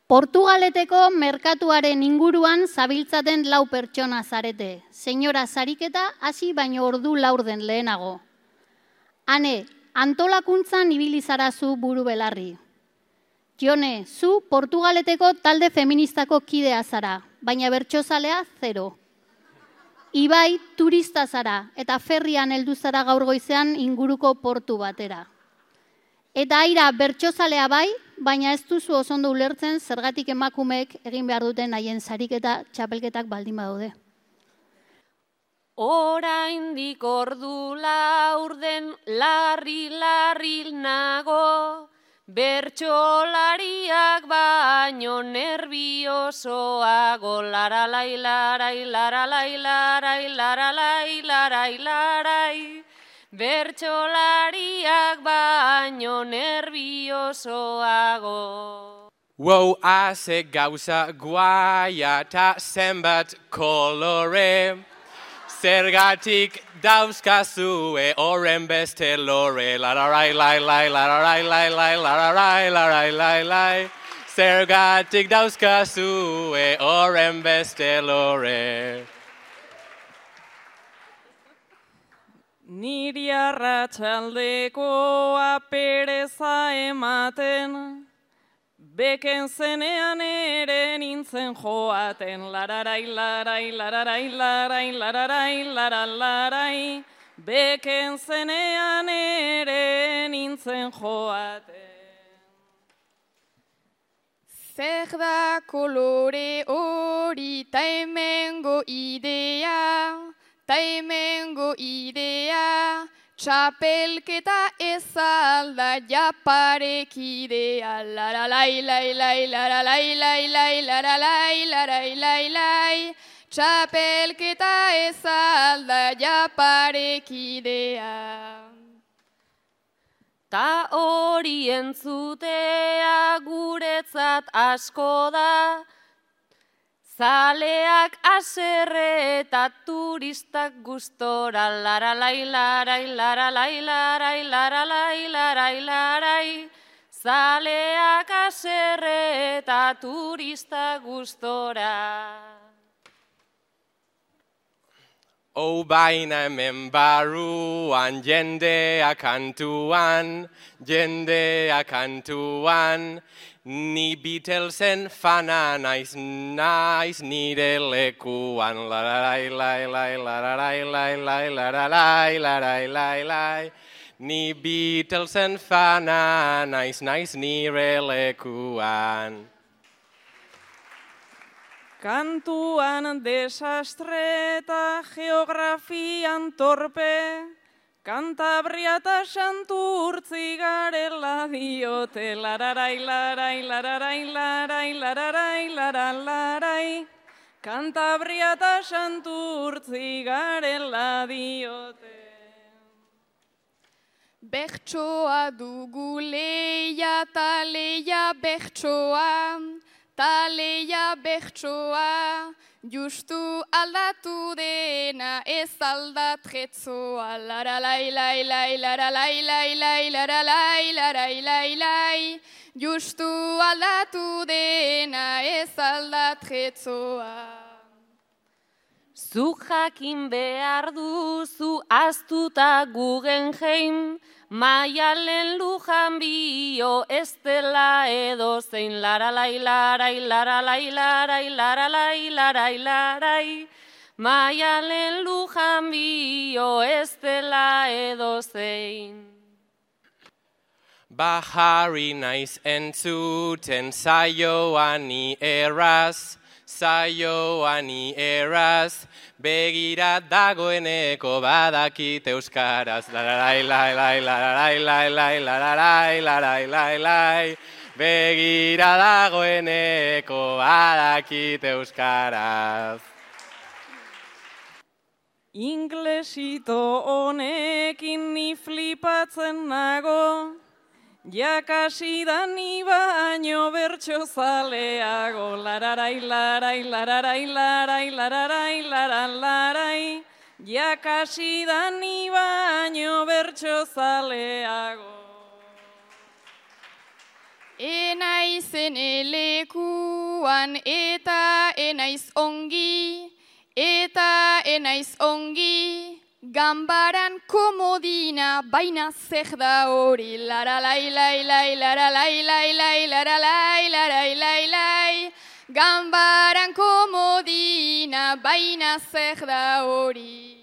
Portugaleteko merkatuaren inguruan zabiltzaten 4 pertsona zarete. Senyora Sariketa hasi baino ordu laurden lehenago. Ane, antolakuntzan ibili zara zu buru belarri. Jone, zu Portugaleteko talde feministako kidea zara, baina bertsozalea 0. Ibai, turista zara eta ferrian heldu zara gaur goizean inguruko portu batera. Eta Aira bertsozalea bai, baina ez duzu oso ondo ulertzen zergatik emakumeek egin behar duten haien sariketa txapelketak baldin badaude. Oraindik ordu laurden larri nago, bertsolariak baino nerviosoago, laralai, larai, laralai, larai, laralai, larai, larai. Bertsolariak baino nerviosoago. Wow, haze gauza guaia ta zenbat kolore, zergatik dauzkazue horren beste lore, lararai, lai, lai, lararai, lai, lai, lararai, larai, lai, lai, zergatik dauzkazue horren beste lore. Niri arratsaldekoa pereza ematen, beken zenean ere nintzen joaten, lararai, larai, lararai, larai, lararai, larai, beken zenean ere nintzen joaten. Zer da kolore hori ta hemengo idea, ta hemengo idea, txapelketa ez alda japarekidea, laralai, lai, lai, laralai, lai, lai, laralai, larai, lai, lai, txapelketa ez alda japarekidea. Ta hori entzutea guretzat asko da, zaleak haserre eta turistak gustora, laralai, larai, laralai, larai, laralai, larai, larai. Zaleak haserre eta turistak gustora. Baina hemen barruan jendea kantuan, ni Beatlesen fana naiz nire lekuan, lararai, lai, lai, lararai, lai, lai, lararai, larai, lai, lai. Ni Beatlesen fana naiz nire lekuan. Kantuan desastre eta geografian torpe, Kantabria eta Santurtzi garela diote, lararai, larai, lararai, larai, lararai, larai. Kantabria eta Santurtzi garela diote. Bertsoa dugu leia ta leia bertsoa, ta leia bertsoa, justu aldatu dena ez aldatretzoa, laralai, lai, lai, laralai, lai, lai, laralai, larai, lai, lai, justu aldatu dena ez aldatretzoa. Zuk jakin behar duzu aztuta Guggenheim, Maialen Lujan bio ez dela edozein, laralai, larai, laralai, larai, laralai, larai, larai. Maialen Lujan bio ez dela edozein. Bajarri naiz entzuten saioani erraz, begira dagoeneko badakit euskaraz, lararai, lai, lai, lararai, lai, lai, lararai, larai, lai, lai, begira dagoeneko badakit euskaraz. Inglesito honekin ni flipatzen nago, jakasi da ni baino bertsozaleago, lararai, larai, lararai, larai, lararai, larai, jakasi da ni baino bertsozaleago. Enaizen elekuan eta enaiz ongi, eta enaiz ongi, ganbaran komodina, baina zer da hori, laralai, lai, lai, laralai, lai, lai, laralai, larai, lai, lai, ganbaran komodina, baina zer da hori.